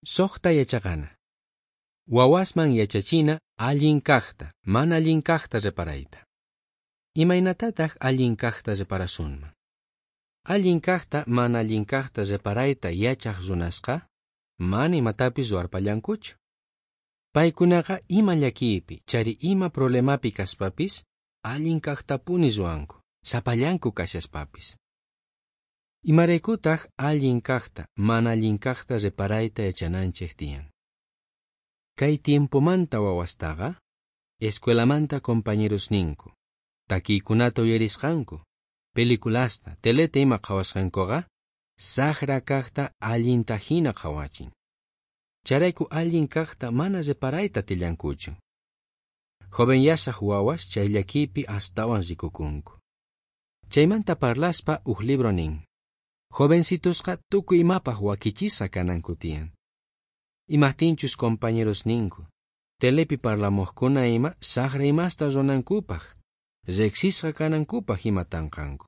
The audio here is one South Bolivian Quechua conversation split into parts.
Sojta yachaqana. Wawasman yachachina allin kajta, mana allin kajta reparayta. Imaynatataj allin kajta reparasunman? Allin kajta, mana allin kajta reparayta yachaj runasqa, mana imatapis ruwarpallankuchu. Paykunaqa ima llakiypi, chayri ima problemapi kaspapis, allin kajtapuni ruwanku, sapallanku kashaspapis. Imaraykutaj allin kajta, mana allin kajta reparayta yachananchej tiyan? Kay tiempomanta wawastaqa, escuelamanta compañerosninku, takiykunata uyarisqanku, peliculasta, teleta ima qhawasqankuqa, sajra kajta allinta hina qhawachin. Chayrayku allin kajta mana reparayta atillankuchu. Jovenyashaj wawas chay llakiypi astawan rikukunku. Chaymanta parlaspa uj libro nin: Jovencitosqa tukuy imapaj wakichisqa kananku tiyan. Imajtinchus compañerosninku, telepi parlamojkuna ima sajra imasta ruwanankupaj, rejsisqa kanankupaj ima tanqanku.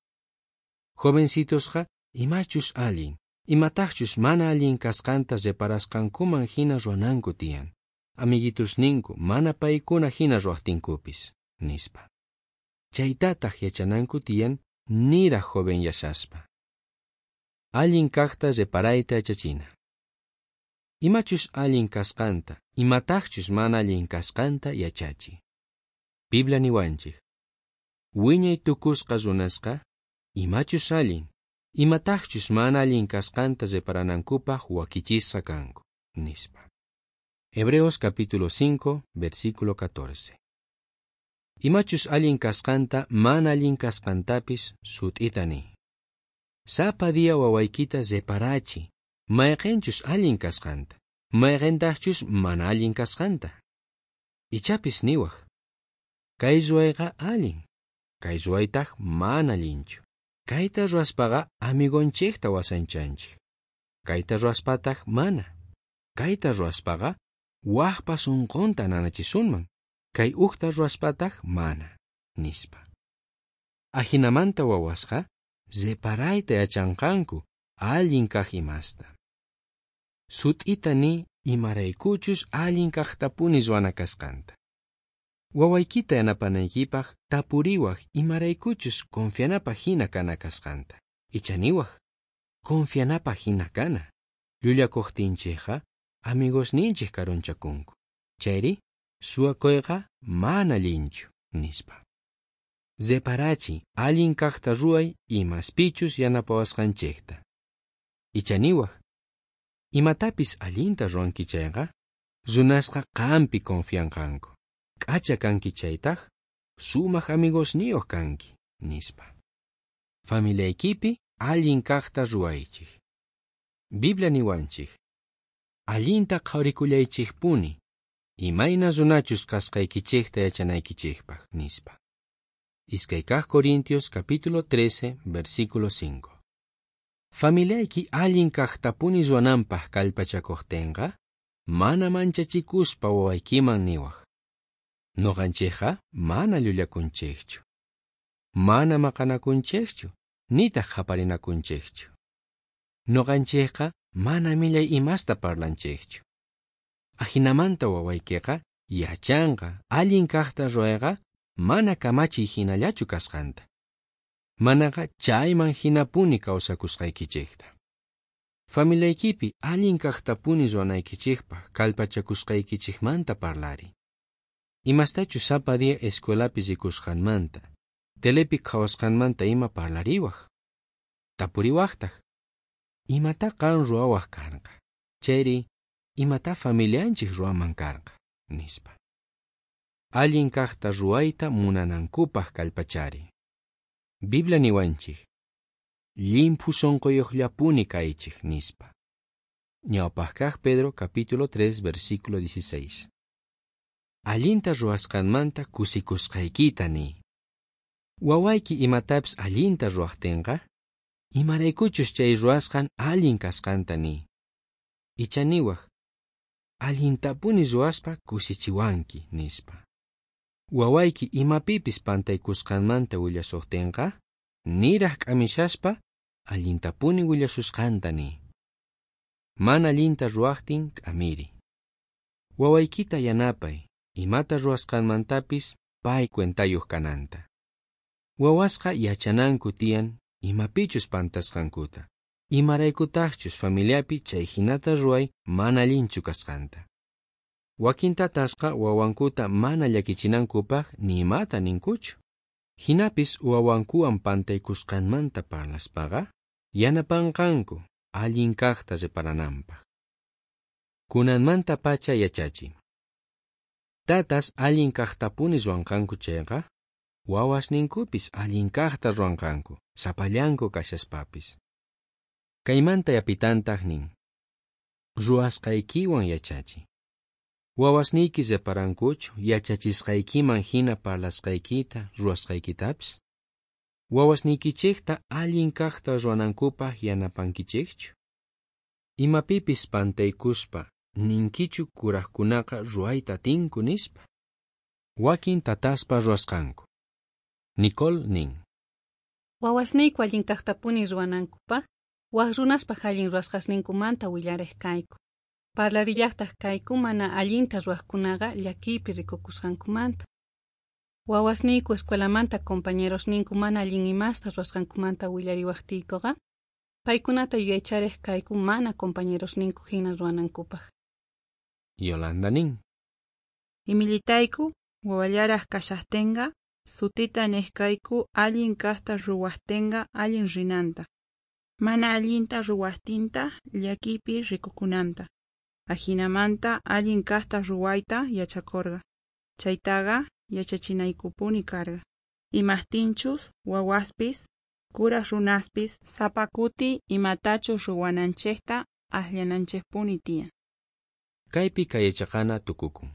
Jovencitosqa imachus allin, imatajchus mana allin kasqanta reparasqankuman hina ruwananku tiyan. Amiguitusninku mana paykuna hina ruwajtinkupis, nispa. Chaytataj yachananku tiyan niraj jovenyashaspa. Allin kajta reparayta yachachina. Imachus allin kasqanta, imatajchus mana allin kasqanta yachachi. Biblia niwanchej: Wiñay tukusqa runasqa, imachus allin, imatajchus mana allin kasqanta reparanankupaj wakichisqa kanku, nispa. Hebreos capítulo 5, versículo 14. Imachus allin kasqanta, mana allin kasqantapis sut'ita niy. Sapa día wawaykita reparachi, mayqenchus allin kasqanta, mayqentajchus mana allin kasqanta. Ichapis niwaj: Kay ruwayqa allin, kay ruwaytaj mana allinchu. Kayta ruwaspaqa amigonchejta wasanchanchej. Kayta ruwaspataj mana. Kayta ruwaspaqa wajpa sonqonta nanachisunman. Kay ujta ruwaspataj mana, nispa. Ajinamanta wawasqa reparayta yachanqanku allin kaj imasta. Sut'ita niy imaraykuchus allin kajtapuni ruwana kasqanta. Wawaykita yanapanaykipaj tapuriwaj imaraykuchus confianapaj hina kana kasqanta. Icha niwaj: Confianapaj hina kana. Llullakojtinchejqa amigosninchej karunchakunku. Chayri suwakoyqa mana allinchu, nispa. Reparachi allin kajta ruway imaspichus yanapawasqanchejta. Icha niwaj: Imatapis allinta ruwanki chayqa, runasqa qampi confianqanku. K'acha kanki chaytaj, sumaj amigosniyoj kanki, nispa. Familiaykipi allin kajta ruwaychej. Biblia niwanchej: Allinta qhawarikullaychejpuni, imayna runachus kasqaykichejta yachanaykichejpaj, nispa. Iskay kaj Corintios capítulo 13, versículo 5. Familiayki allin kajtapuni ruwananpaj kallpachakojtenqa, mana manchachikuspa wawaykiman niwaj: Noqanchejqa mana llullakunchejchu, mana maqanakunchejchu, nitaj qhaparinakunchejchu. Noqanchejqa mana millay imasta parlanchejchu. Ajinamanta wawaykiqa yachanqa allin kajta ruwayqa mana kamachiy hinallachu kasqanta. Manaqa chayman hinapuni kawsakusqaykichejta. Familiaykipi allin kajtapuni ruwanaykichejpaj kallpachakusqaykichejmanta parlariy. Imastachus sapa día escuelapi rikusqanmanta, telepi qhawasqanmanta ima parlariwaj. Tapuriwajtaj: Imatá qan ruwawaj karqa? Chayri imatá familianchej ruwaman karqa? Nispa. Allin kajta ruwayta munanankupaj kallpachari. Biblia niwanchej: Llimphu sonqoyojllapuni kaychej, nispa. Ñawpaj kaj Pedro capítulo 3, versículo 16. Allinta ruwasqanmanta kusikusqaykita niy. Wawayki imatapis allinta ruwajtenqa, imaraykuchus chay ruwasqan allin kasqanta niy. Icha niwaj: Allintapuni ruwaspa kusichiwanki, nispa. Wawayki imapipis pantaykusqanmanta willasojtenqa, niraj k'amishaspa allintapuni willasusqanta niy. Mana allinta ruwajtin k'amiri. Wawaykita yanapay, imata ruwasqanmantapis pay cuentayuq kananta. Wawasqa yachananku tiyan imapichus pantasqankuta, imaraykutaqchus familiapi chay hinata ruway mana allinchu kasqanta. Wakin tatasqa wawankuta mana llakichinankupaq ni imata ninkuchu. Hinapis wawankuwan pantaykusqanmanta parlaspaqa yanapanqanku allin kaqta reparananpaq. Kunanmantapacha yachachiy. Tatas allin kaqtapuni ruwanqanku chayqa, wawasninkupis allin kaqta ruwanqanku, sapallanku kashaspapis. Kaymanta yapitantaq nin: Ruwasqaykiwan yachachiy. Wawasniyki reparankuchu yachachisqaykiman hina parlasqaykita, ruwasqaykitapis? Wawasniykichikta allin kaqta ruwanankupaq yanapankichikchu? Imapipis pantaykuspa ninkichu kurajkunaqa ruwayta atinku nispa? Wakin tataspa ruwasqanku. Nicole nin: Wawasniyku allin kaqtapuni ruwanankupaq, waj runaspaj allin ruwasqasninkumanta willarej kayku. Parlarillaqtaq kayku mana allinta ruwajkunaqa llakiypi rikukusqankumanta. Wawasniyku escuelamanta compañerosninku mana allin imasta ruwasqankumanta willariwajtiykuqa, paykunata yuyaycharej kayku mana compañerosninku hina ruwanankupaq. Yolanda nin: Imillitayku wawallaraj kashajtenqa sutita nej kayku allin kajta ruwajtenqa allin rinanta, mana allinta ruwajtinta llakiypi rikukunanta. Ajinamanta allin kajta ruwayta yachakorqa. Chaytaqa yachachinaykupuni karqa. Imajtinchus wawaspis, kuraj runaspis sapa kuti imatachus ruwananchejta ajllananchejpuni tiyan. Kaypi kay yachaqana tukukun.